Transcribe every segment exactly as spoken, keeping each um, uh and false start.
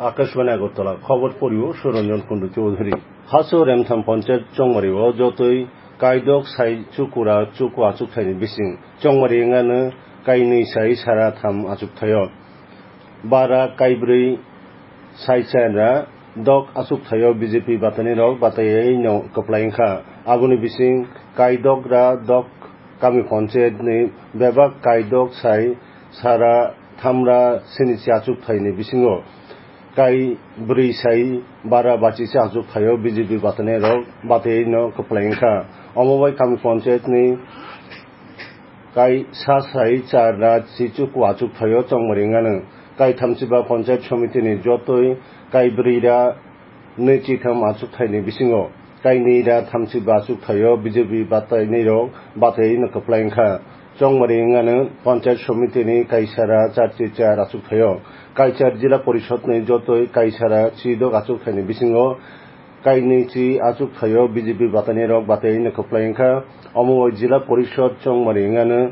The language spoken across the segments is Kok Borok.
Akashbani Agartala, khobor porio Suranjan Kundu Chowdhury. Haso Remtham Panchayat Chongmari o jotoi kaidok sai chukura chuku achukthai ni bising Chongmari wngano kainwi sai sara tham achukthai o. Bara kaibrwi sai chara dok achukthai o B J P batani rok bataiwi no kwplai wngkha. Aboni bising kaidok ra dok kami panchayat ni bebak kaidok sai sara thamra sinichi achukthai ni bisingo kai brwi sai bara bachi se achukthai o B J P batani rok bataiwi no kwplai wngkha. Omo bai kami panchayat ni kai sa sai char ra chichu ku achukthai o Chongmari wngano. Kai thamchiba panchayat somiti ni jotoi kai brwi ra nwi chitham achukthai ni bisingo kai nwi ra thamchiba achukthai o B J P batainwi rok bataiwi no kwplai wngkha. Chongmari wngano panchayat somiti ni kaisa ra char chi char achukthai o. Kaisa jila porishod ni jotoi kaisa ra chidok achukthai ni bisingo kainwi chi achukthai o B J P batani rok bataiwi no kwplai wngkha. Omo bai jila porishod Chongmari wngano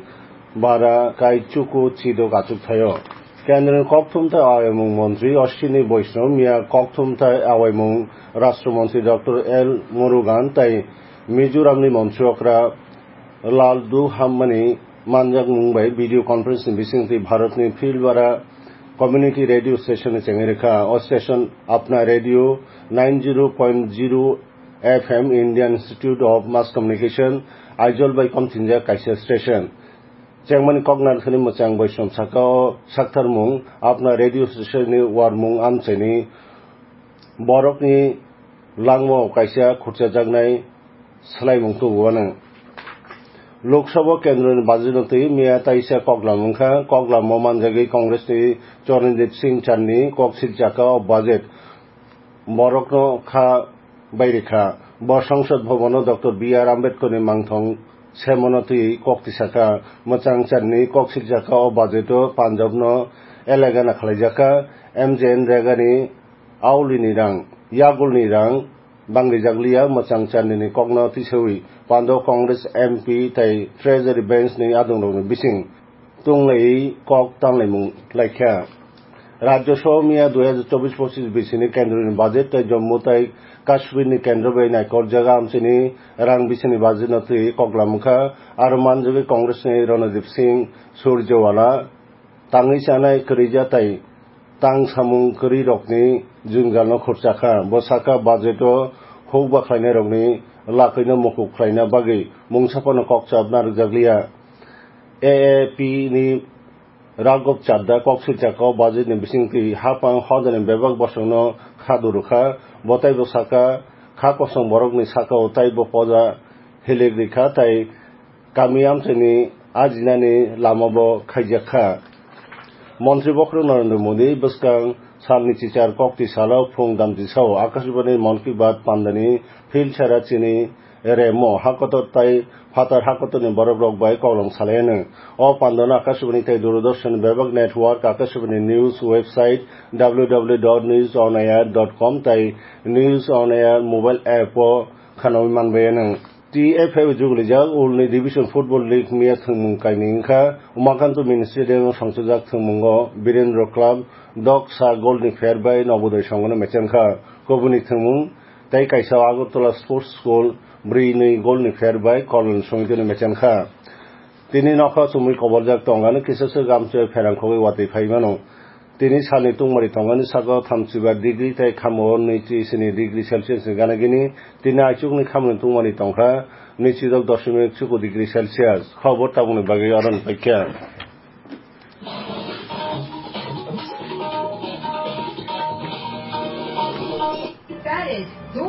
bara kai chuku chidok achukthai o. Kendroni kokthum tei awaimung montri Ashwini Vaishnaw miya kokthum tei awaimung Rashtra Montri Doctor L Murugan tei Mizoramni montri okra Lal Duhambani manjakmung bai video conference ni bisingtwi Bharatni Philwara Community Radio Station ni chengwi rwkha. O station Apna Radio ninety point zero F M, Indian Institute of Mass Communication, Aizawl bai komthinjak kaisa station. Chengmani kok narwknani mwchang bai song saka o saktharmung Apna Radio Station ni warmung amchaini borokni langmao kaisa khurchajaknai swlaimung tubuo no. Lok Sabha kendroni budget no twi miya taisa koklam wngkha. Koklamo manjagwi Congress ni Charandeep Singh Channi kok silchaka o budget borokno kha bairikha. Bo Sangsad Bhavan o Doctor B R Ambedkar ni mangthong semono twi kok tisakha. Mwchang Channi kok silchaka o budget o Punjab no elegana khlaijakha. M J N Rega ni auli ni rang, yagul ni rang, bangrijak liya mwchang Channi ni kokno tisawi pando Congress M P tei Treasury Bench ni adongrokni bising tunglaiwi kok tanlaimung laikha. Rajya Sabha miya dui hajar chobbish pochis bisini kendroni budget tei Jammu tei Kashmir ni kendro bai naikorjak amchini rang bisini budget no twi koklam wngkha. Aro manjagwi Congress ni Ranadip Singh Surjewala tangwi chanai kwrwija tei tang samung kwrwirokni jwngjalno khurchakha. Bo sakha, budget-o huk bakhlainairokni lakwino mukup khlaina bagwi mungsa phano kokchap narwkjakliya. A A P ni Raghav Chadda kok swijak o budget-ni bisingtwi haphang hodani bebak bosongno kha durukha. Bo taibo sakha, kha kosong borokni saka-o taibo poja hilik rikha tei kami amchaini ajinani lama bo khaijak kha. Montri bokhorok Narendra Modi bwskang salni chichar kokti salo phung damchisao Akashbani Mann Ki Baat pandani phil sara chini remo hakotor tai phatar hakotorni borokrok bai koklom salai anw. O pandano Akashbani tei Doordarshan bebak network, Akashbani news website, W W W dot news on air dot com tei News on Air mobile app o khanaui manbai anw. T F F jugulijak Ulni Division Football League miya thwngmung kainwi wngkha. Umakanto Mini Stadium o songchajak thwngmungo Birendra Club dok sa goal ni pher bai Nobodoi Songhono mechenkha. Kubuni thwngmung tei kaisa Agartala Sports School brwi nwi goal ni pher bai Kolon Songhono mechenkha. Tini nokha chumui koborjak tongano kisa se gamchoi pherang khogwi watwi phai mano. Tini salni tungmari tongani saka thamchiba degree tei khamao nwichi sini degree Celsius ni gana gini. Tini aichukni khamni tungmani tongkha nwichi dok doshimik chuku degree Celsius. Khobor tabukni bagwi oro ni paikha.